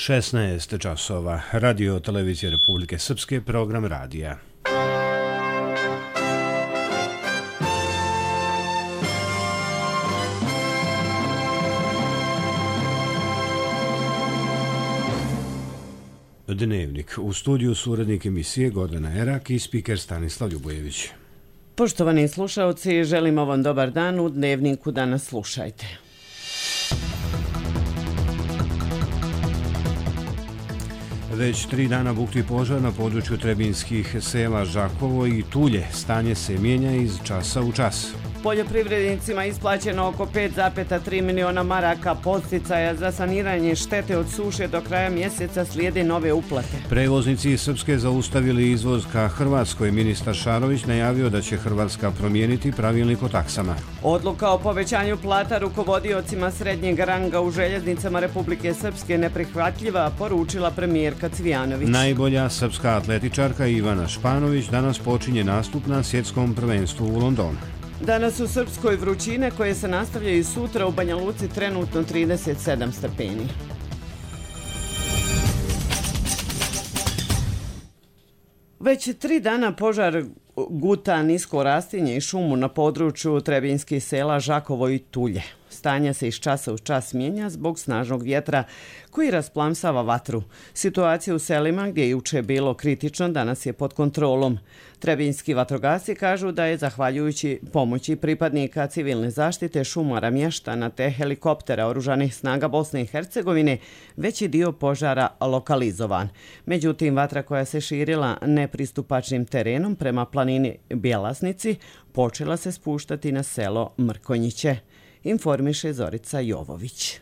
16 časova. Radio Televizije Republike Srpske, program radija. Dnevnik. U studiju su urednik emisije Gordana Erak i spiker Stanislav Ljubojević. Poštovani slušaoci, želimo vam dobar dan. U Dnevniku danas slušajte. Već 3 dana bukti požar na području trebinskih sela Žakovo i Tulje. Stanje se mijenja iz časa u čas. Poljoprivrednicima isplaćeno oko 5,3 miliona maraka podsticaja za saniranje štete od suše. Do kraja mjeseca slijede nove uplate. Prevoznici iz Srpske zaustavili izvoz ka Hrvatskoj. Ministar Šarović najavio da će Hrvatska promijeniti pravilnik o taksama. Odluka o povećanju plata rukovodiocima srednjeg ranga u željeznicama Republike Srpske neprihvatljiva, poručila premijerka Cvijanović. Najbolja srpska atletičarka Ivana Španović danas počinje nastup na svjetskom prvenstvu u Londonu. Danas u Srpskoj vrućine koje se nastavljaju sutra, u Banja Luci trenutno 37 stepeni. Već 3 dana požar guta nisko rastinje i šumu na području trebinskih sela Žakovo i Tulje. Stanje se iz časa u čas mijenja zbog snažnog vjetra koji rasplamsava vatru. Situacija u selima gdje je juče bilo kritično danas je pod kontrolom. Trebinski vatrogasci kažu da je zahvaljujući pomoći pripadnika civilne zaštite, šumara, mještana te helikoptera oružanih snaga Bosne i Hercegovine veći dio požara lokalizovan. Međutim, vatra koja se širila nepristupačnim terenom prema planini Bjelasnici počela se spuštati na selo Mrkonjiće, informiše Zorica Jovović.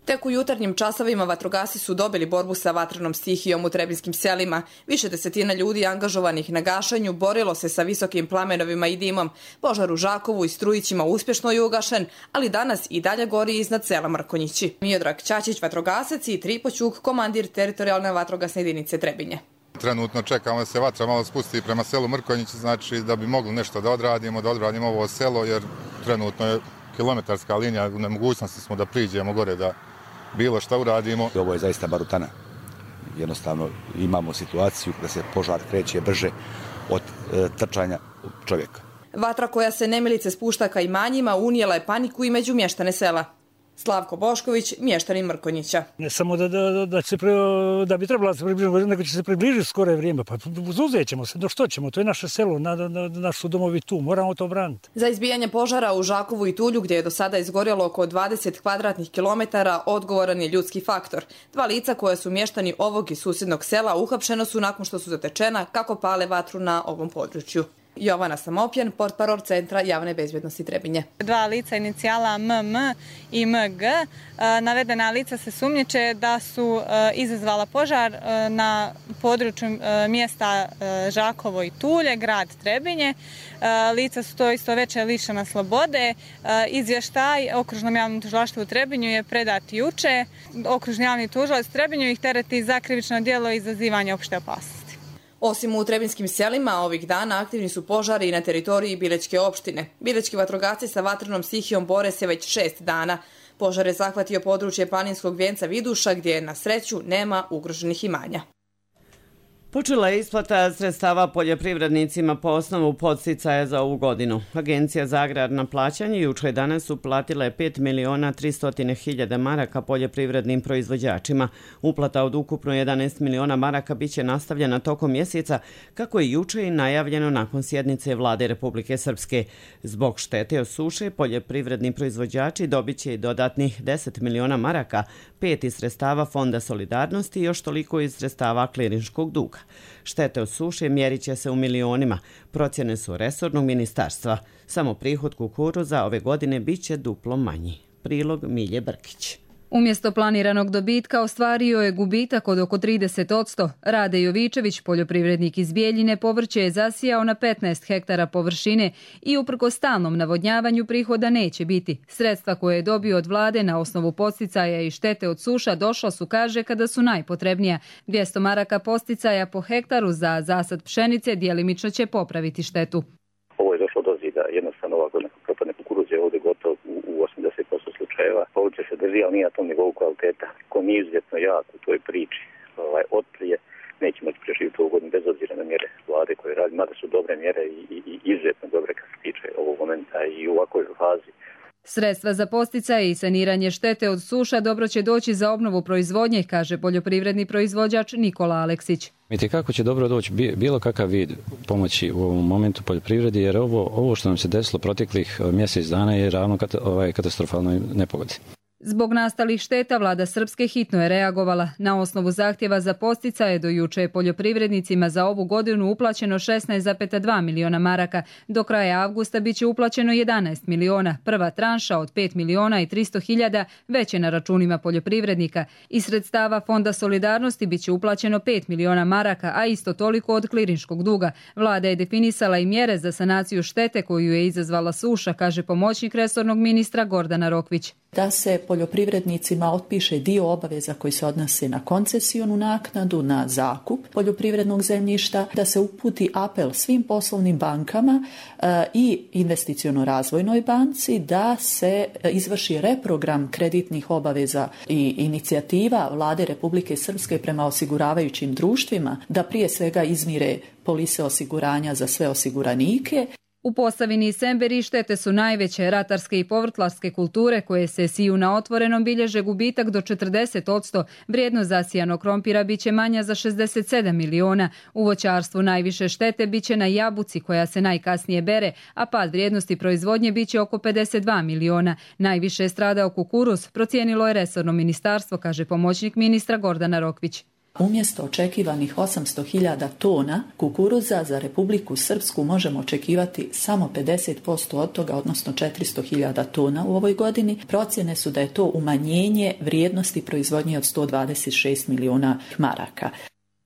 Tek u jutarnjim časovima vatrogasci su dobili borbu sa vatrenom stihijom u trebinskim selima. Više desetina ljudi angažovanih na gašenju borilo se sa visokim plamenovima i dimom. Požar u Žakovu i Strujićima uspješno je ugašen, ali danas i dalje gori iznad sela Mrkonjići. Miodrag Ćačić, vatrogasac, i Tripo Ćuk, komandir teritorijalne vatrogasne jedinice Trebinje. Trenutno čekamo da se vatra malo spusti prema selu Mrkonjići, znači da bi mogli nešto da odradimo ovo selo, jer trenutno je kilometarska linija, u nemogućnosti smo da priđemo gore da bilo šta uradimo. Ovo je zaista barutana. Jednostavno imamo situaciju da se požar kreće brže od trčanja čovjeka. Vatra koja se nemilice spušta ka imanjima unijela je paniku i među mještane sela. Slavko Bošković, mještanin Mrkonjića. Ne samo da bi trebalo se približiti, nego će se približiti skoro vrijeme. Pa uzet ćemo se, no što ćemo, to je naše selo, naš su domovi tu, moramo to braniti. Za izbijanje požara u Žakovu i Tulju, gdje je do sada izgorjelo oko 20 kvadratnih kilometara, odgovoran je ljudski faktor. 2 lica koja su mještani ovog i susjednog sela uhapšeno su nakon što su zatečena kako pale vatru na ovom području. Jovana Samopjan, portparol Centra javne bezbjednosti Trebinje. 2 lica inicijala MM i MG. Navedena lica se sumnjiče da su izazvala požar na području mjesta Žakovo i Tulje, grad Trebinje. Lica su to isto veće lišena slobode. Izvještaj Okružnom javnom tužilaštvu u Trebinju je predat juče. Okružni javni tužilac Trebinju ih tereti za krivično djelo izazivanja opšte opasnosti. Osim u trebinskim selima, ovih dana aktivni su požari i na teritoriji Bilećke opštine. Bilećki vatrogasci sa vatrenom stihijom bore se već 6 dana. Požar je zahvatio područje planinskog vijenca Viduša, gdje na sreću nema ugroženih imanja. Počela je isplata sredstava poljoprivrednicima po osnovu podsticaja za ovu godinu. Agencija za agrarna plaćanje juče danas uplatila je 5.300.000 maraka poljoprivrednim proizvođačima. Uplata od ukupno 11 miliona maraka biće nastavljena tokom mjeseca, kako je juče i najavljeno nakon sjednice Vlade Republike Srpske. Zbog štete od suše, poljoprivredni proizvođači dobit će i dodatnih 10 miliona maraka, 5 iz sredstava Fonda solidarnosti i još toliko iz sredstava klirinškog duga. Štete od suše mjerit će se u milionima. Procjene su resornog ministarstva. Samo prihod kukuruza ove godine bit će duplo manji. Prilog Milje Brkić. Umjesto planiranog dobitka ostvario je gubitak od oko 30%. Rade Jovičević, poljoprivrednik iz Bijeljine, povrće je zasijao na 15 hektara površine i uprkos stalnom navodnjavanju prihoda neće biti. Sredstva koje je dobio od vlade na osnovu podsticaja i štete od suša došla su, kaže, kada su najpotrebnija. 200 maraka podsticaja po hektaru za zasad pšenice djelimično će popraviti štetu. Ovo je došlo do zida. Jednostavno ova godina propadne kukuruz je ovdje gotovo u 80% slučajeva. slučajeva povrće se drži, ali nije na tom nivou kvaliteta. Ko nije izuzetno jak u toj priči otprije, neće moći preživjeti ovu godinu bez obzira na mjere vlade koje radi, mada su dobre mjere i izuzetno dobre kad se tiče ovog momenta i u ovakvoj fazi. Sredstva za podsticaje i saniranje štete od suša dobro će doći za obnovu proizvodnje, kaže poljoprivredni proizvođač Nikola Aleksić. Kako će dobro doći bilo kakav vid pomoći u ovom momentu poljoprivredi, jer ovo što nam se desilo proteklih mjesec dana je ravno katastrofalnoj nepogodi. Zbog nastalih šteta vlada Srpske hitno je reagovala. Na osnovu zahtjeva za podsticaje do juče je poljoprivrednicima za ovu godinu uplaćeno 16,2 miliona maraka. Do kraja avgusta bit će uplaćeno 11 miliona. Prva tranša od 5 miliona i 300 hiljada već je na računima poljoprivrednika. Iz sredstava Fonda solidarnosti bit će uplaćeno 5 miliona maraka, a isto toliko od klirinškog duga. Vlada je definisala i mjere za sanaciju štete koju je izazvala suša, kaže pomoćnik resornog ministra Gordana Rokvić. Da se poljoprivrednicima otpiše dio obaveza koji se odnose na koncesionu naknadu, na zakup poljoprivrednog zemljišta, da se uputi apel svim poslovnim bankama i investiciono-razvojnoj banci da se izvrši reprogram kreditnih obaveza i inicijativa Vlade Republike Srpske prema osiguravajućim društvima, da prije svega izmire polise osiguranja za sve osiguranike. U Posavini i Semberi štete su najveće. Ratarske i povrtlarske kulture koje se siju na otvorenom bilježe gubitak do 40%. Vrijednost zasijanog krompira biće manja za 67 miliona. U voćarstvu najviše štete biće na jabuci koja se najkasnije bere, a pad vrijednosti proizvodnje biće oko 52 miliona. Najviše je stradao kukuruz, procijenilo je resorno ministarstvo, kaže pomoćnik ministra Gordana Rokvić. Umjesto očekivanih 800.000 tona kukuruza za Republiku Srpsku možemo očekivati samo 50% od toga, odnosno 400.000 tona u ovoj godini. Procjene su da je to umanjenje vrijednosti proizvodnje od 126 miliona maraka.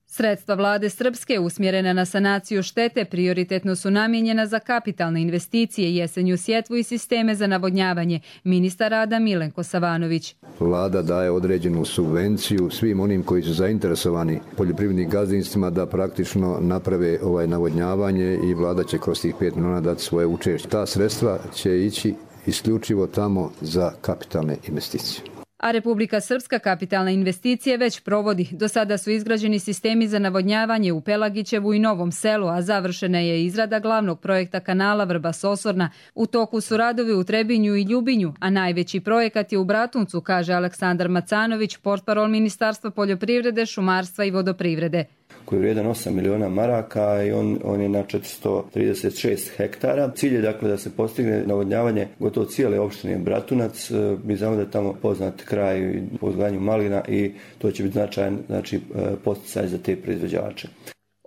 Sredstva vlade Srpske usmjerena na sanaciju štete prioritetno su namijenjena za kapitalne investicije, jesenju sjetvu i sisteme za navodnjavanje. Ministar rada Milenko Savanović. Vlada daje određenu subvenciju svim onim koji su zainteresovani poljoprivrednim gazdinstvima da praktično naprave navodnjavanje i vlada će kroz tih 5 miliona dati svoje učešće. Ta sredstva će ići isključivo tamo za kapitalne investicije. A Republika Srpska kapitalne investicije već provodi. Do sada su izgrađeni sistemi za navodnjavanje u Pelagićevu i Novom Selu, a završena je izrada glavnog projekta kanala Vrba-Sosorna. U toku su radovi u Trebinju i Ljubinju, a najveći projekat je u Bratuncu, kaže Aleksandar Macanović, portparol Ministarstva poljoprivrede, šumarstva i vodoprivrede. Koji je vrijedan 8 miliona maraka i on je na 436 hektara. Cilj je dakle da se postigne navodnjavanje gotovo cijele opštine Bratunac. Mi znamo da je tamo poznat kraj po uzgajanju malina i to će biti značajan posticaj za te proizvođače.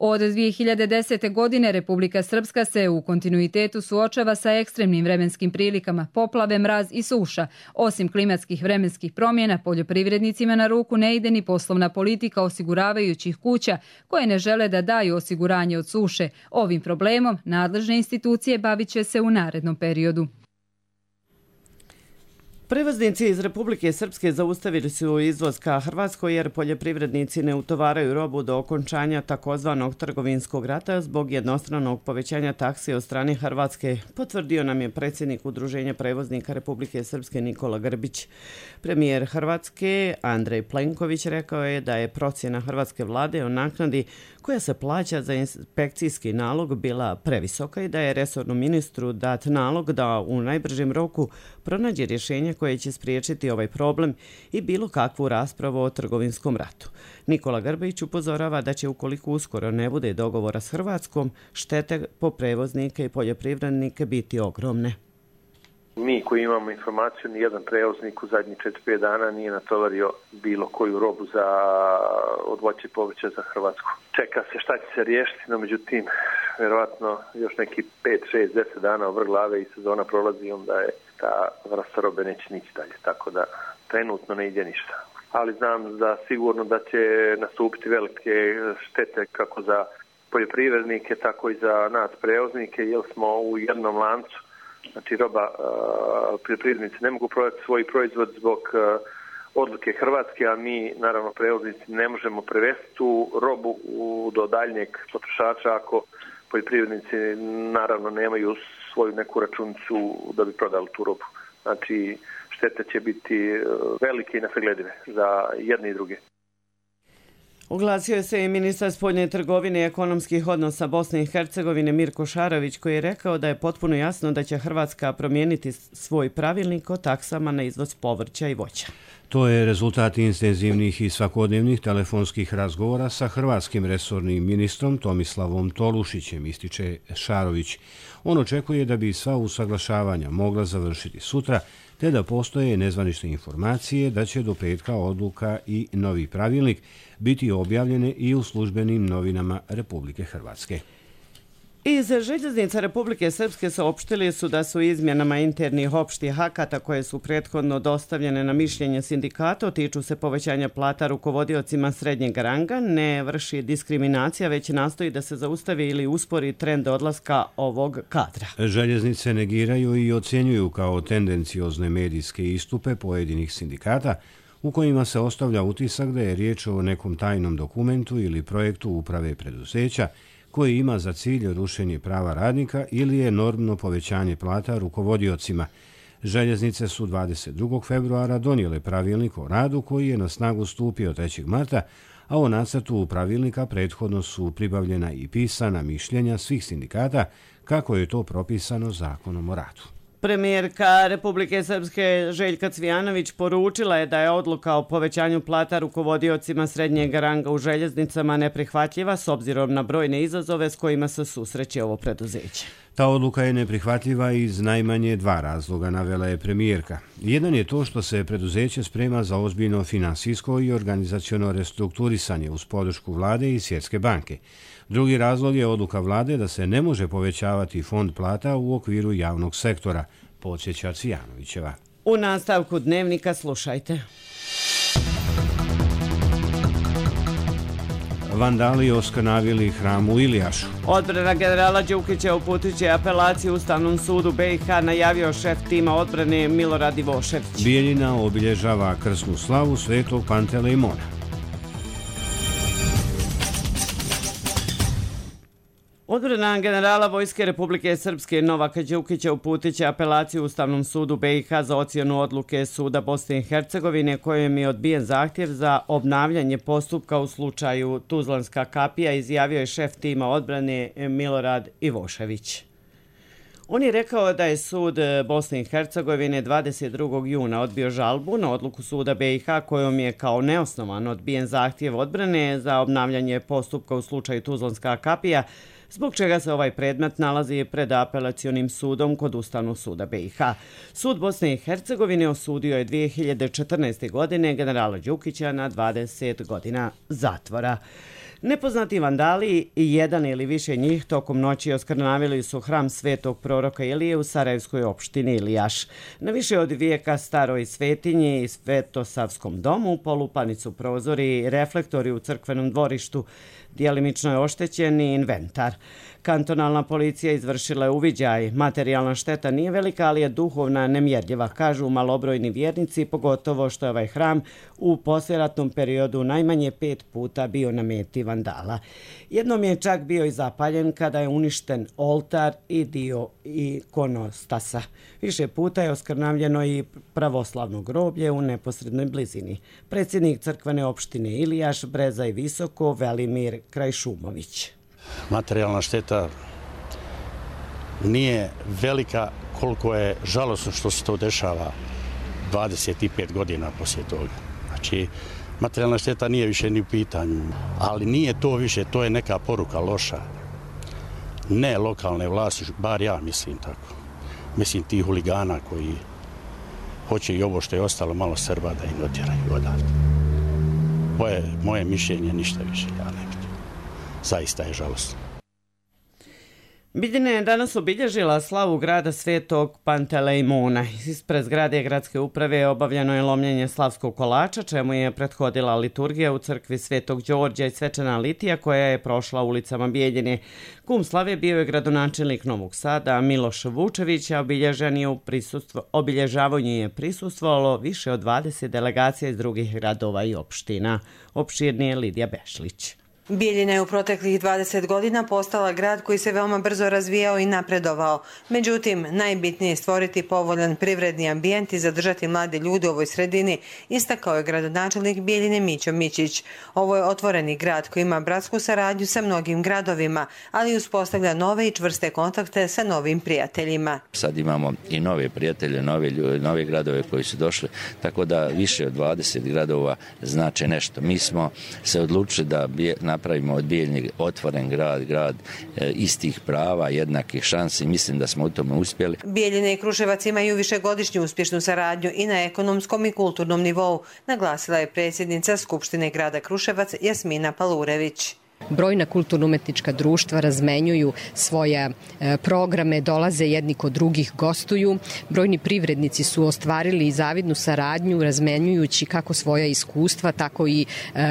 Od 2010. godine Republika Srpska se u kontinuitetu suočava sa ekstremnim vremenskim prilikama, poplave, mraz i suša. Osim klimatskih vremenskih promjena, poljoprivrednicima na ruku ne ide ni poslovna politika osiguravajućih kuća koje ne žele da daju osiguranje od suše. Ovim problemom nadležne institucije bavit će se u narednom periodu. Prevoznici iz Republike Srpske zaustavili su izvoz ka Hrvatskoj jer poljoprivrednici ne utovaraju robu do okončanja takozvanog trgovinskog rata zbog jednostranog povećanja taksi od strane Hrvatske, potvrdio nam je predsjednik Udruženja prevoznika Republike Srpske Nikola Grbić. Premijer Hrvatske Andrej Plenković rekao je da je procjena hrvatske vlade o naknadi koja se plaća za inspekcijski nalog bila previsoka i da je resornom ministru dat nalog da u najbržem roku pronađe rješenje koje će spriječiti ovaj problem i bilo kakvu raspravu o trgovinskom ratu. Nikola Grbić upozorava da će ukoliko uskoro ne bude dogovora s Hrvatskom, štete po prevoznike i poljoprivrednike biti ogromne. Mi koji imamo informaciju, nijedan prevoznik u zadnjih 4-5 dana nije natovario bilo koju robu za od voća i povrća za Hrvatsku. Čeka se šta će se riješiti, no međutim, vjerovatno još neki 5, 6, 10 dana ovrh glave i sezona prolazi, onda je ta vrsta robe neće nići dalje, tako da trenutno ne ide ništa. Ali znam da sigurno da će nastupiti velike štete kako za poljoprivrednike, tako i za nas prevoznike, jer smo u jednom lancu. Znači poljoprivrednici ne mogu prodati svoj proizvod zbog odluke Hrvatske, a mi naravno prevoznici ne možemo prevesti tu robu do daljnjeg potrošača ako poljoprivrednici naravno nemaju svoju neku računicu da bi prodali tu robu. Znači, štete će biti velike i nesagledive za jedne i druge. Oglasio se i ministar spoljne trgovine i ekonomskih odnosa Bosne i Hercegovine Mirko Šarović, koji je rekao da je potpuno jasno da će Hrvatska promijeniti svoj pravilnik o taksama na izvoz povrća i voća. To je rezultat intenzivnih i svakodnevnih telefonskih razgovora sa hrvatskim resornim ministrom Tomislavom Tolušićem, ističe Šarović. On očekuje da bi sva usaglašavanja mogla završiti sutra, te da postoje nezvanične informacije da će do petka odluka i novi pravilnik biti objavljene i u službenim novinama Republike Hrvatske. Iz Željeznica Republike Srpske saopštili su da su izmjenama internih opštih akata koje su prethodno dostavljene na mišljenje sindikata tiču se povećanja plata rukovodiocima srednjeg ranga, ne vrši diskriminacija, već nastoji da se zaustavi ili uspori trend odlaska ovog kadra. Željeznice negiraju i ocjenjuju kao tendenciozne medijske istupe pojedinih sindikata u kojima se ostavlja utisak da je riječ o nekom tajnom dokumentu ili projektu uprave preduzeća koji ima za cilj rušenje prava radnika ili je normno povećanje plata rukovodiocima. Željeznice su 22. februara donijele pravilnik o radu koji je na snagu stupio 3. marta, a o nacrtu pravilnika prethodno su pribavljena i pisana mišljenja svih sindikata kako je to propisano Zakonom o radu. Premijerka Republike Srpske Željka Cvijanović poručila je da je odluka o povećanju plata rukovodiocima srednjeg ranga u željeznicama neprihvatljiva s obzirom na brojne izazove s kojima se susreće ovo preduzeće. Ta odluka je neprihvatljiva iz najmanje 2 razloga, navela je premijerka. Jedan je to što se preduzeće sprema za ozbiljno finansijsko i organizaciono restrukturisanje uz podršku vlade i Svjetske banke. Drugi razlog je odluka vlade da se ne može povećavati fond plata u okviru javnog sektora, podsjeća Cvijanovićeva. U nastavku dnevnika slušajte. Vandali oskrnavili hram u Ilijašu. Odbrana generala Đukića uputit će apelaciju Ustavnom sudu BiH, najavio šef tima odbrane Milorad Ivošević. Bijeljina obilježava krsnu slavu Svetog Pantelejmona. Odbrana generala Vojske Republike Srpske Novaka Đukića uputit će apelaciju Ustavnom sudu BiH za ocjenu odluke Suda Bosne i Hercegovine kojom je odbijen zahtjev za obnavljanje postupka u slučaju Tuzlanska kapija, izjavio je šef tima odbrane Milorad Ivošević. On je rekao da je sud Bosne i Hercegovine 22. juna odbio žalbu na odluku suda BiH kojom je kao neosnovan odbijen zahtjev odbrane za obnavljanje postupka u slučaju Tuzlanska kapija, zbog čega se ovaj predmet nalazi pred apelacionim sudom kod Ustavnog suda BiH. Sud Bosne i Hercegovine osudio je 2014. godine generala Đukića na 20 godina zatvora. Nepoznati vandali i jedan ili više njih tokom noći oskrnavili su hram svetog proroka Ilije u Sarajevskoj opštini Ilijaš. Na više od vijeka staroj svetinji i Svetosavskom domu polupani su prozori i reflektori u crkvenom dvorištu. Djelimično je oštećen i inventar. Kantonalna policija izvršila je uviđaj. Materijalna šteta nije velika, ali je duhovna nemjerljiva, kažu malobrojni vjernici, pogotovo što je ovaj hram u poslijeratnom periodu najmanje 5 puta bio na meti vandala. Jednom je čak bio i zapaljen kada je uništen oltar i dio ikonostasa. Više puta je oskrnavljeno i pravoslavno groblje u neposrednoj blizini. Predsjednik crkvene opštine Ilijaš, Breza i Visoko, Velimir Krajšumović. Materijalna šteta nije velika koliko je žalosno što se to dešava 25 godina poslije toga. Znači, materijalna šteta nije više ni u pitanju, ali nije to više, to je neka poruka loša. Ne lokalne vlasti, bar ja mislim tako. Mislim tih huligana koji hoće i ovo što je ostalo malo Srba da im otjeraju odavde. Moje mišljenje ništa više, ja ne vidim. Zaista je žalostno. Bijeljina je danas obilježila slavu grada Svetog Pantelejmona. Ispred zgrade gradske uprave obavljeno je lomljenje slavskog kolača, čemu je prethodila liturgija u crkvi Svetog Đorđa i svečana litija koja je prošla ulicama Bijeljine. Kum slave bio je gradonačelnik Novog Sada Miloš Vučević, a obilježavanju je prisustvovalo više od 20 delegacija iz drugih gradova i opština. Opširnije Lidija Bešlić. Bijeljina je u proteklih 20 godina postala grad koji se veoma brzo razvijao i napredovao. Međutim, najbitnije je stvoriti povoljan privredni ambijent i zadržati mlade ljude u ovoj sredini, istakao je gradonačelnik Bijeljine Mićo Mićić. Ovo je otvoreni grad koji ima bratsku saradnju sa mnogim gradovima, ali uspostavlja nove i čvrste kontakte sa novim prijateljima. Sad imamo i nove prijatelje, nove gradove koji su došli, tako da više od 20 gradova znače nešto. Mi smo se odlučili da napravimo od Bijeljine otvoren grad istih prava, jednakih šansi. Mislim da smo u tome uspjeli. Bijeljina i Kruševac imaju višegodišnju uspješnu saradnju i na ekonomskom i kulturnom nivou, naglasila je predsjednica Skupštine grada Kruševac Jasmina Palurević. Brojna kulturno-umetnička društva razmenjuju svoje programe, dolaze jedni kod drugih, gostuju. Brojni privrednici su ostvarili zavidnu saradnju razmenjujući kako svoja iskustva, tako i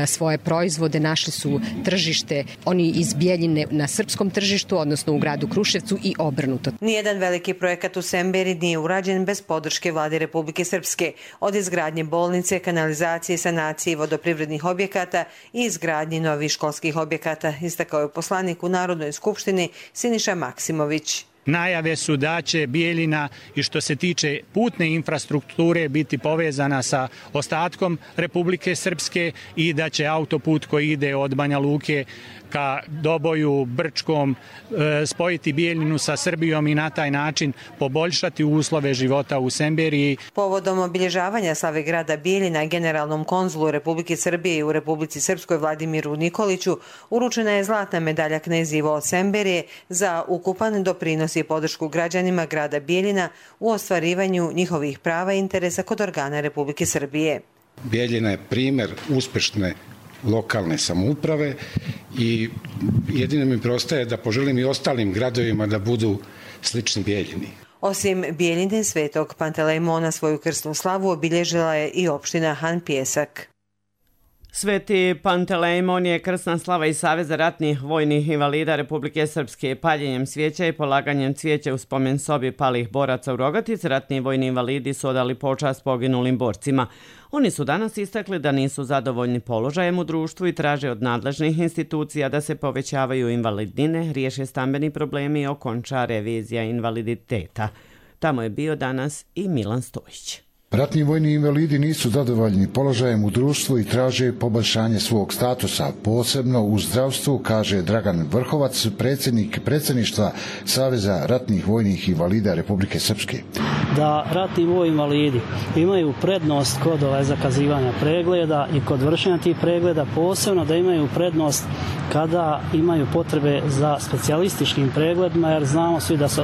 svoje proizvode. Našli su tržište, oni iz Bijeljine na srpskom tržištu, odnosno u gradu Kruševcu i obrnuto. Nijedan veliki projekat u Semberi nije urađen bez podrške Vlade Republike Srpske. Od izgradnje bolnice, kanalizacije, sanacije vodoprivrednih objekata i izgradnje novih školskih objekata, istakao je poslanik u Narodnoj skupštini Siniša Maksimović. Najave su da će Bijeljina i što se tiče putne infrastrukture biti povezana sa ostatkom Republike Srpske i da će autoput koji ide od Banja Luke ka Doboju, Brčkom, spojiti Bijeljinu sa Srbijom i na taj način poboljšati uslove života u Semberiji. Povodom obilježavanja slave grada Bijeljina generalnom konzulu Republike Srbije u Republici Srpskoj Vladimiru Nikoliću uručena je zlatna medalja knez Ivo od Semberije za ukupan doprinos i podršku građanima grada Bijeljina u ostvarivanju njihovih prava i interesa kod organa Republike Srbije. Bijeljina je primjer uspješne lokalne samouprave i jedino mi preostaje da poželim i ostalim gradovima da budu slični Bijeljini. Osim Bijeljine, Svetog Pantelejmona svoju krsnu slavu obilježila je i opština Han Pjesak. Sveti Pantelejmon je krsna slava iz Saveza ratnih vojnih invalida Republike Srpske. Paljenjem svijeća i polaganjem cvijeća u spomen sobi palih boraca u Rogatici, ratni vojni invalidi su odali počast poginulim borcima. Oni su danas istakli da nisu zadovoljni položajem u društvu i traže od nadležnih institucija da se povećavaju invalidnine, riješe stambeni problemi i okonča revizija invaliditeta. Tamo je bio danas i Milan Stojić. Ratni vojni invalidi nisu zadovoljni položajem u društvu i traže poboljšanje svog statusa, posebno u zdravstvu, kaže Dragan Vrhovac, predsjednik predsjedništva Saveza ratnih vojnih invalida Republike Srpske. Da ratni vojni invalidi imaju prednost kod zakazivanja pregleda i kod vršenja tih pregleda, posebno da imaju prednost kada imaju potrebe za specijalističkim pregledima, jer znamo svi da se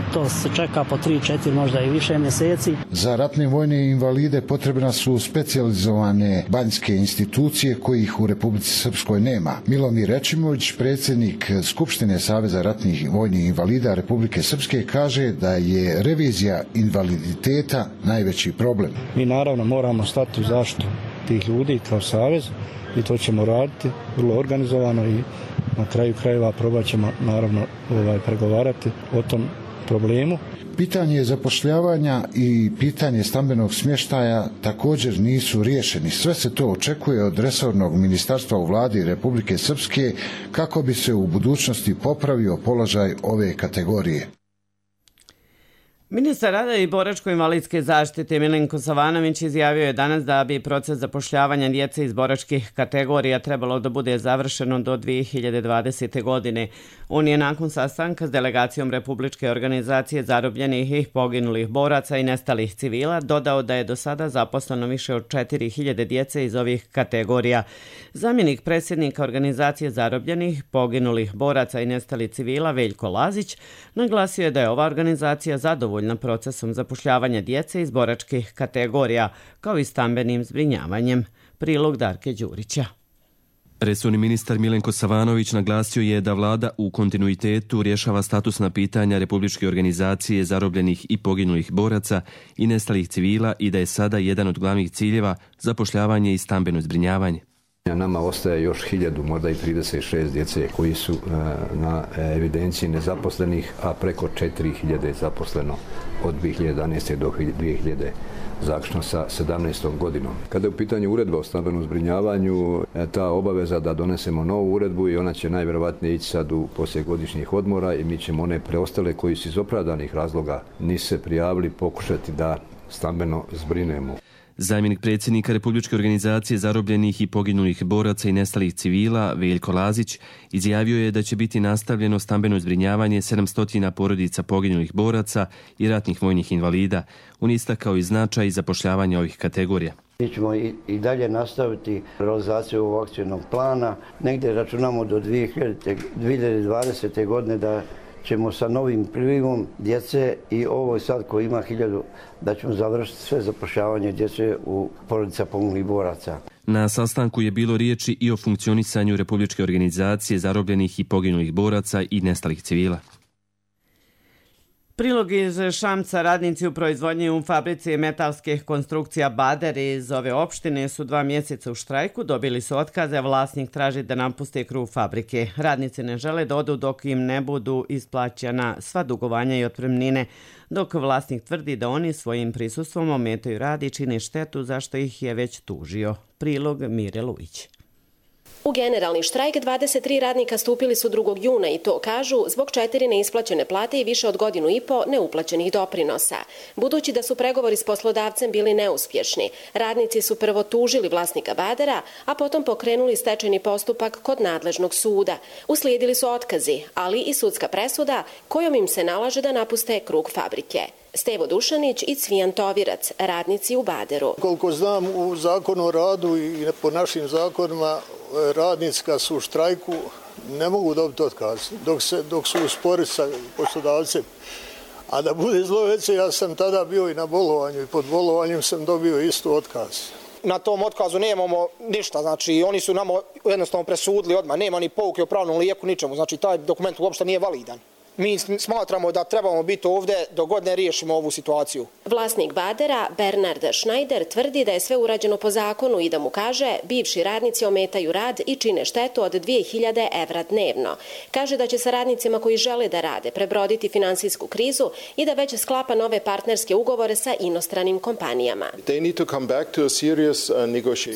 čeka po 3-4, možda i više mjeseci. Za ratne vojne invalide potrebna su specijalizovane banjske institucije kojih u Republici Srpskoj nema. Milomir Rečimović, predsjednik Skupštine Saveza ratnih vojnih invalida Republike Srpske, kaže da je revizija invaliditeta najveći problem. Mi naravno moramo stati u zaštitu tih ljudi kao savez i to ćemo raditi vrlo organizovano i na kraju krajeva probat ćemo naravno pregovarati o tom problemu. Pitanje zapošljavanja i pitanje stambenog smještaja također nisu riješeni. Sve se to očekuje od resornog ministarstva u vladi Republike Srpske kako bi se u budućnosti popravio položaj ove kategorije. Ministar rada i boračko-invalidske zaštite Milenko Savanović izjavio je danas da bi proces zapošljavanja djece iz boračkih kategorija trebalo da bude završeno do 2020. godine. On je nakon sastanka s delegacijom Republičke organizacije zarobljenih i poginulih boraca i nestalih civila dodao da je do sada zaposleno više od 4000 djece iz ovih kategorija. Zamjenik predsjednika organizacije zarobljenih, poginulih boraca i nestalih civila Veljko Lazić naglasio je da je ova organizacija zadovoljna procesom zapošljavanja djece iz boračkih kategorija, kao i stambenim zbrinjavanjem. Prilog Darke Đurića. Resorni ministar Milenko Savanović naglasio je da vlada u kontinuitetu rješava statusna pitanja Republičke organizacije zarobljenih i poginulih boraca i nestalih civila i da je sada jedan od glavnih ciljeva zapošljavanje i stambeno zbrinjavanje. Nama ostaje još 1000, možda i 36 djece koji su na evidenciji nezaposlenih, a preko 4000 je zaposleno od 2011. do 2000, zaključno sa 17. godinom. Kada je u pitanju uredba o stambenom zbrinjavanju, ta obaveza da donesemo novu uredbu i ona će najvjerovatnije ići sad u poslijegodišnjih odmora i mi ćemo one preostale koji su iz opravdanih razloga nisu se prijavili pokušati da stambeno zbrinemo. Zamjenik predsjednika Republičke organizacije zarobljenih i poginulih boraca i nestalih civila, Veljko Lazić, izjavio je da će biti nastavljeno stambeno zbrinjavanje 700 porodica poginulih boraca i ratnih vojnih invalida. On istakao i značaj zapošljavanja ovih kategorija. Mi ćemo i dalje nastaviti realizaciju ovog akcijnog plana. Negdje računamo do 2020. godine da ćemo sa novim prilivom djece i ovo sad koji ima 1000, da ćemo završiti sve zapošljavanje djece u porodica poginulih boraca. Na sastanku je bilo riječi i o funkcionisanju Republičke organizacije zarobljenih i poginulih boraca i nestalih civila. Prilog iz Šamca, radnici u proizvodnji u fabrici metalskih konstrukcija Bader iz ove opštine su 2 mjeseca u štrajku, dobili su otkaze, vlasnik traži da napuste krug fabrike. Radnici ne žele da odu dok im ne budu isplaćena sva dugovanja i otpremnine, dok vlasnik tvrdi da oni svojim prisustvom ometaju rad i čine štetu za što ih je već tužio. Prilog Mire Lujić. U generalni štrajk 23 radnika stupili su 2. juna i to kažu zbog 4 neisplaćene plate i više od 1,5 godinu neuplaćenih doprinosa. Budući da su pregovori s poslodavcem bili neuspješni, radnici su prvo tužili vlasnika Badera, a potom pokrenuli stečajni postupak kod nadležnog suda. Uslijedili su otkazi, ali i sudska presuda kojom im se nalaže da napuste krug fabrike. Stevo Dušanić i Cvijan Tovirac, radnici u Baderu. Koliko znam, u zakonu o radu i po našim zakonima radnici kad su u štrajku ne mogu dobiti otkaz dok su u spori sa poslodavcem. A da bude zlo veće, ja sam tada bio i na bolovanju i pod bolovanjem sam dobio isto otkaz. Na tom otkazu nemamo ništa, znači oni su nam jednostavno presudili odmah, nema ni pouke o pravnom lijeku, ničemu, znači taj dokument uopšte nije validan. Mi smatramo da trebamo biti ovdje dok god ne riješimo ovu situaciju. Vlasnik Badera, Bernard Schneider, tvrdi da je sve urađeno po zakonu i da mu kaže bivši radnici ometaju rad i čine štetu od 2000 evra dnevno. Kaže da će sa radnicima koji žele da rade prebroditi finansijsku krizu i da već sklapa nove partnerske ugovore sa inostranim kompanijama.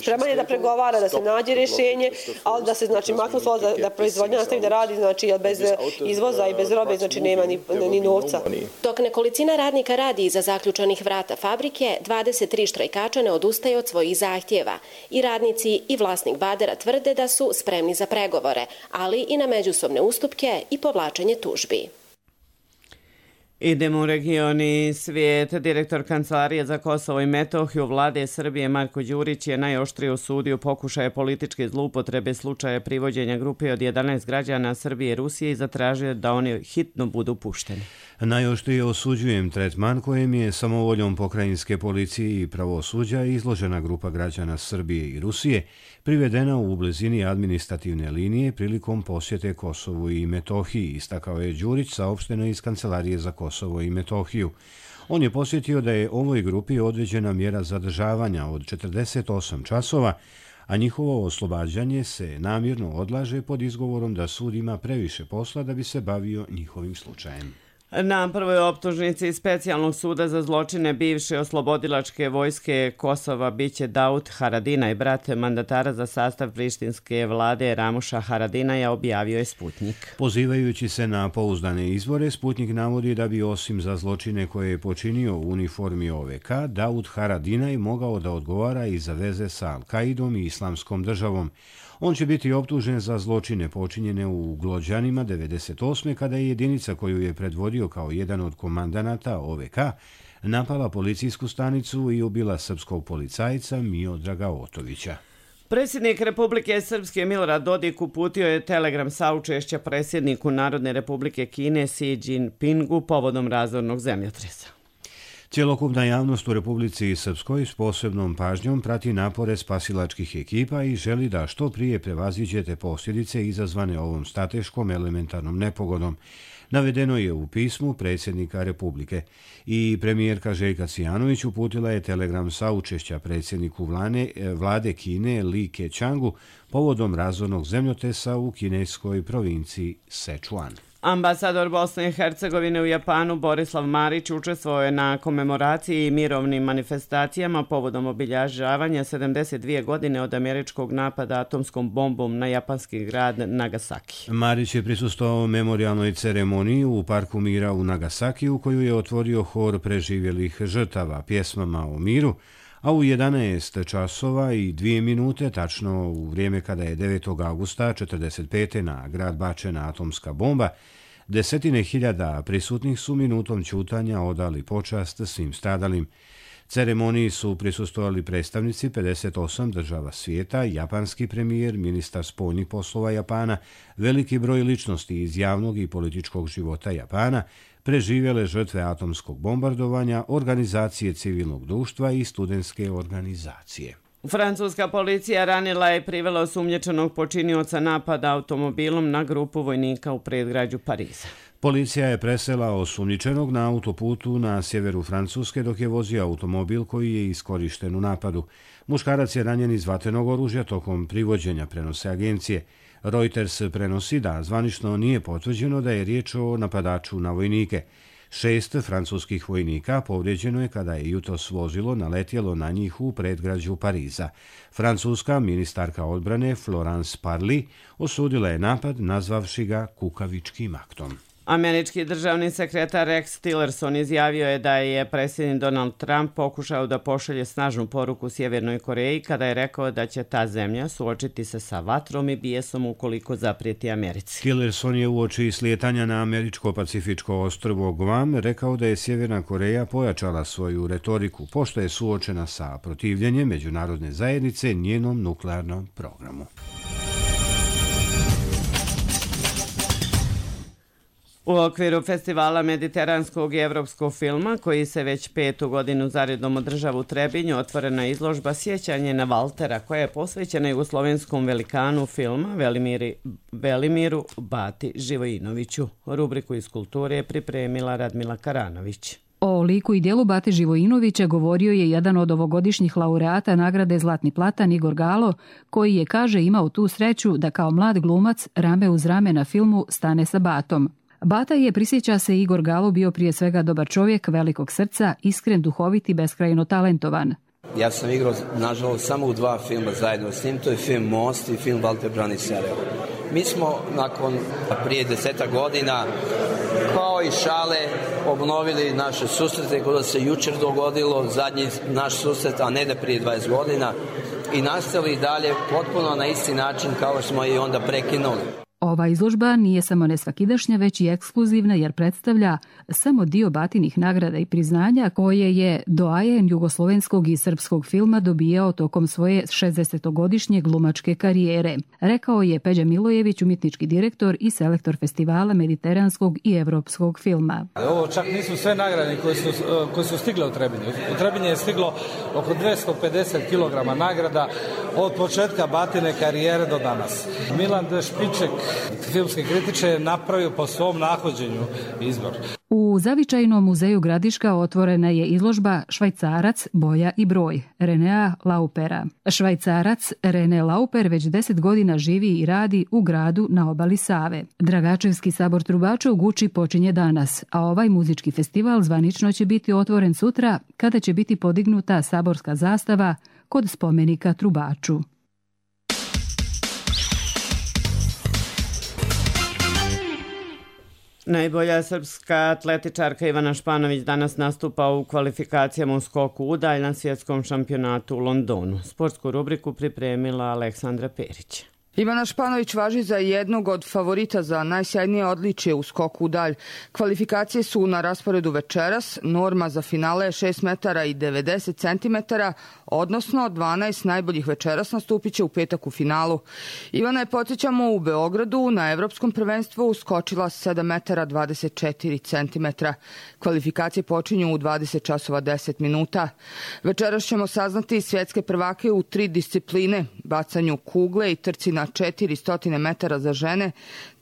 Spreman je da pregovara, da se nađe rješenje, ali da se znači maknu slovo da proizvodnja nastavi da radi, znači bez izvoza i bez robe, znači nema ni novca. Dok nekolicina radnika radi iza zaključanih vrata fabrike, 23 štrajkača ne odustaje od svojih zahtjeva. I radnici i vlasnik Badera tvrde da su spremni za pregovore, ali i na međusobne ustupke i povlačenje tužbi. Idemo u regioni svijet. Direktor Kancelarije za Kosovo i Metohiju vlade Srbije Marko Đurić je najoštrije osudio pokušaje političke zloupotrebe slučaja privođenja grupe od 11 građana Srbije i Rusije i zatražio da oni hitno budu pušteni. Najoštrije osuđujem tretman kojem je samovoljom pokrajinske policije i pravosuđa izložena grupa građana Srbije i Rusije, privedena u blizini administrativne linije prilikom posjete Kosovu i Metohiji, istakao je Đurić, saopšteno iz Kancelarije za Kosovo i Metohiju. On je posjetio da je ovoj grupi određena mjera zadržavanja od 48 časova, a njihovo oslobađanje se namjerno odlaže pod izgovorom da sud ima previše posla da bi se bavio njihovim slučajem. Na prvoj optužnici Specijalnog suda za zločine bivše oslobodilačke vojske Kosova biće Daud Haradinaj, brat mandatara za sastav prištinske vlade Ramuša Haradinaja, objavio je Sputnik. Pozivajući se na pouzdane izvore, Sputnik navodi da bi osim za zločine koje je počinio u uniformi OVK, Daud Haradinaj mogao da odgovara i za veze sa Al-Kaidom i Islamskom državom. On će biti optužen za zločine počinjene u Glođanima 1998. kada je jedinica koju je predvodio kao jedan od komandanata OVK napala policijsku stanicu i ubila srpskog policajca Miodraga Otovića. Predsjednik Republike Srpske Milorad Dodik uputio je telegram saučešća predsjedniku Narodne Republike Kine Xi Jinpingu povodom razornog zemljotresa. Cjelokupna javnost u Republici Srpskoj s posebnom pažnjom prati napore spasilačkih ekipa i želi da što prije prevaziđete posljedice izazvane ovom strateškom elementarnom nepogodom. Navedeno je u pismu predsjednika Republike. I premijerka Željka Cijanović uputila je telegram saučešća predsjedniku vlade Kine Li Keqiangu povodom razornog zemljotesa u kineskoj provinciji Sichuan. Ambasador Bosne i Hercegovine u Japanu Borislav Marić učestvovao je na komemoraciji i mirovnim manifestacijama povodom obilježavanja 72 godine od američkog napada atomskom bombom na japanski grad Nagasaki. Marić je prisustvovao memorijalnoj ceremoniji u Parku mira u Nagasaki u koju je otvorio hor preživjelih žrtava pjesmama o miru, a u 11 časova i 2 minute, tačno u vrijeme kada je 9. augusta 1945. na grad bačena atomska bomba, desetine hiljada prisutnih su minutom ćutanja odali počast svim stradalim. Ceremoniji su prisustvovali predstavnici 58 država svijeta, japanski premijer, ministar spoljnih poslova Japana, veliki broj ličnosti iz javnog i političkog života Japana, preživjele žrtve atomskog bombardovanja, organizacije civilnog društva i studentske organizacije. Francuska policija ranila je privela osumnjičenog počinioca napada automobilom na grupu vojnika u predgrađu Pariza. Policija je presela osumnjičenog na autoputu na sjeveru Francuske dok je vozio automobil koji je iskorišten u napadu. Muškarac je ranjen iz vatrenog oružja tokom privođenja, prenose agencije. Reuters prenosi da zvanično nije potvrđeno da je riječ o napadaču na vojnike. 6 francuskih vojnika povrijeđeno je kada je jutros vozilo naletjelo na njih u predgrađu Pariza. Francuska ministarka odbrane Florence Parly osudila je napad nazvavši ga kukavičkim aktom. Američki državni sekretar Rex Tillerson izjavio je da je predsjednik Donald Trump pokušao da pošalje snažnu poruku Sjevernoj Koreji kada je rekao da će ta zemlja suočiti se sa vatrom i bijesom ukoliko zaprijeti Americi. Tillerson je uoči slijetanja na američko-pacifičko ostrvo Guam rekao da je Sjeverna Koreja pojačala svoju retoriku pošto je suočena sa protivljenjem međunarodne zajednice njenom nuklearnom programu. U okviru festivala mediteranskog i evropskog filma, koji se već 5. godinu zaredom održava u Trebinju, otvorena je izložba Sjećanje na Valtera, koja je posvećena jugoslovenskom velikanu filma Velimiru Bati Živojinoviću. Rubriku iz kulture je pripremila Radmila Karanović. O liku i dijelu Bate Živojinovića govorio je jedan od ovogodišnjih laureata nagrade Zlatni platan Igor Galo, koji je, kaže, imao tu sreću da kao mlad glumac rame uz rame na filmu stane sa Batom. Bata je, prisjeća se, Igor Galo, bio prije svega dobar čovjek, velikog srca, iskren, duhovit i beskrajno talentovan. Ja sam igrao, nažalost, samo u 2 filma zajedno s njim, to je film Most i film Valter brani Sarajevo. Mi smo prije 10 godina, kao i šale, obnovili naše susrete, koje se jučer dogodilo, zadnji naš susret, a ne da prije 20 godina, i nastavili dalje potpuno na isti način kao smo i onda prekinuli. Ova izložba nije samo nesvakidašnja, već i ekskluzivna jer predstavlja samo dio Batinih nagrada i priznanja koje je doajen jugoslovenskog i srpskog filma dobijao tokom svoje 60-godišnje glumačke karijere, rekao je Peđa Milojević, umjetnički direktor i selektor festivala mediteranskog i evropskog filma. Ovo čak nisu sve nagrade koje su stigle u Trebinje. U Trebinje je stiglo oko 250 kg nagrada od početka Batine karijere do danas. Milan D. Špiček, filmski kritičar, je napravio po svom nahođenju izbor. U Zavičajnom muzeju Gradiška otvorena je izložba Švajcarac, boja i broj Renea Laupera. Švajcarac Rene Lauper već 10 godina živi i radi u gradu na obali Save. Dragačevski sabor trubača u Guči počinje danas, a ovaj muzički festival zvanično će biti otvoren sutra kada će biti podignuta saborska zastava kod spomenika trubaču. Najbolja srpska atletičarka Ivana Španović danas nastupa u kvalifikacijama u skoku udalj na svjetskom šampionatu u Londonu. Sportsku rubriku pripremila Aleksandra Perić. Ivana Španović važi za jednog od favorita za najsjajnije odličje u skoku udalj. Kvalifikacije su na rasporedu večeras, norma za finale je 6 metara i 90 centimetara, odnosno 12 najboljih večeras nastupit će u petak u finalu. Ivana je, podsjećamo, u Beogradu na Evropskom prvenstvu skočila 7 metara 24 centimetra. Kvalifikacije počinju u 20 časova 10 minuta. Večeras ćemo saznati svjetske prvake u 3 discipline, bacanju kugle i trci na 400 metara za žene,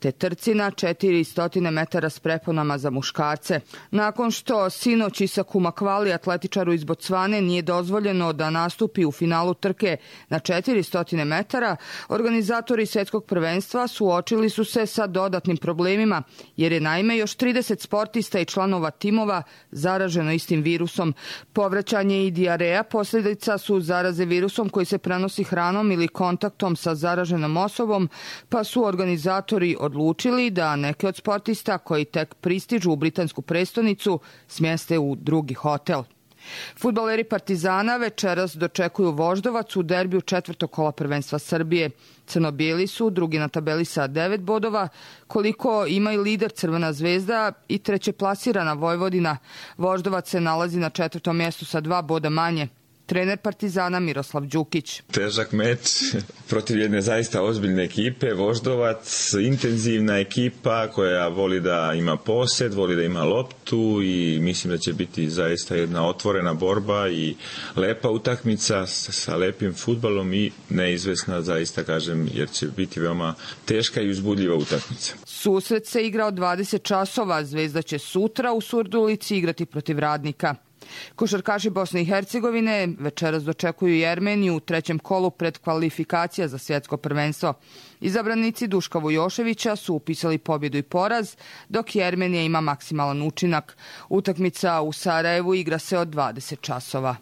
te trci na 400 metara s preponama za muškarce. Nakon što sinoć Isaku Makvali, atletičaru iz Bocvane, nije dozvoljeno da nastupi u finalu trke na 400 metara, organizatori svjetskog prvenstva suočili su se sa dodatnim problemima, jer je naime još 30 sportista i članova timova zaraženo istim virusom. Povraćanje i dijareja posljedica su zaraze virusom koji se prenosi hranom ili kontaktom sa zaraženom osobom, pa su organizatori odlučili da neke od sportista koji tek pristižu u britansku prestonicu smjeste u drugi hotel. Fudbaleri Partizana večeras dočekuju Voždovac u derbiju četvrtog kola prvenstva Srbije. Crno-bijeli su drugi na tabeli sa 9 bodova, koliko ima i lider Crvena zvezda i treće plasirana Vojvodina. Voždovac se nalazi na 4. mjestu sa 2 boda manje. Trener Partizana Miroslav Đukić. Težak meč protiv jedne zaista ozbiljne ekipe, Voždovac, intenzivna ekipa koja voli da ima posjed, voli da ima loptu i mislim da će biti zaista jedna otvorena borba i lepa utakmica sa lepim fudbalom i neizvesna, zaista kažem, jer će biti veoma teška i uzbudljiva utakmica. Susret se igra od 20 časova, Zvezda će sutra u Surdulici igrati protiv Radnika. Košarkaši Bosne i Hercegovine večeras dočekuju Jermeniju u trećem kolu predkvalifikacija za svjetsko prvenstvo. Izabranici Duška Vujoševića su upisali pobjedu i poraz, dok Jermenija ima maksimalan učinak. Utakmica u Sarajevu igra se od 20 časova.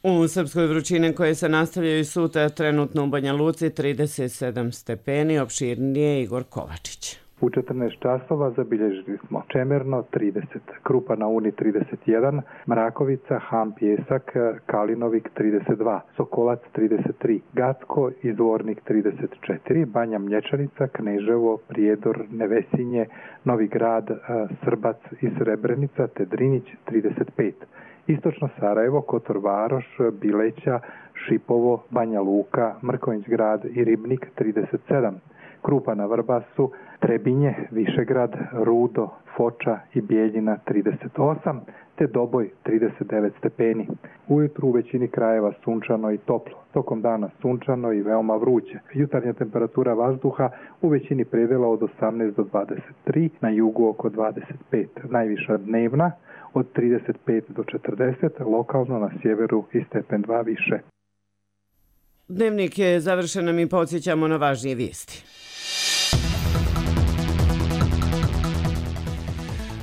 U Srpskoj vrućine koje se nastavljaju sutra trenutno u Banja Luci 37 stepeni, opširnije Igor Kovačić. U 14 časova zabilježili smo Čemerno 30, Krupa na Uni 31, Mrakovica, Ham Pjesak, Kalinovik 32, Sokolac 33, Gacko i Zvornik 34, Banja Mlječanica, Kneževo, Prijedor, Nevesinje, Novi Grad, Srbac i Srebrenica te Drinić 35. Istočno Sarajevo, Kotor Varoš, Bileća, Šipovo, Banja Luka, Mrkonjić grad i Ribnik 37. Krupa na Vrbasu, Trebinje, Višegrad, Rudo, Foča i Bijeljina 38, te Doboj 39 stepeni. Ujutru u većini krajeva sunčano i toplo, tokom dana sunčano i veoma vruće. Jutarnja temperatura vazduha u većini predela od 18 do 23, na jugu oko 25. Najviša dnevna od 35 do 40, lokalno na sjeveru i stepen 2 više. Dnevnik je završen, a mi podsjećamo na važnije vijesti.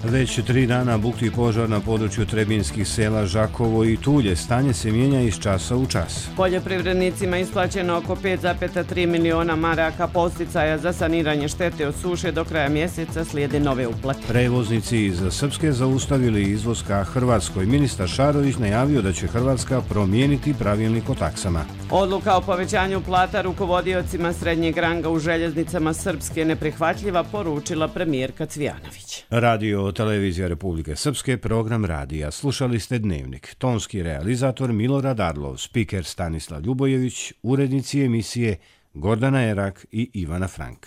Već 3 dana bukti požar na području trebinskih sela Žakovo i Tulje. Stanje se mijenja iz časa u čas. Poljoprivrednicima isplaćeno oko 5,3 miliona maraka podsticaja za saniranje štete od suše. Do kraja mjeseca slijede nove uplate. Prevoznici iz Srpske zaustavili izvoz ka Hrvatskoj. Ministar Šarović najavio da će Hrvatska promijeniti pravilnik o taksama. Odluka o povećanju plata rukovodiocima srednjeg ranga u željeznicama Srpske neprihvatljiva, poručila premijerka Cvijanović. Radio Televizija Republike Srpske, program radija. Slušali ste Dnevnik. Tonski realizator Milorad Arlov, spiker Stanislav Ljubojević, urednici emisije Gordana Erak i Ivana Frank.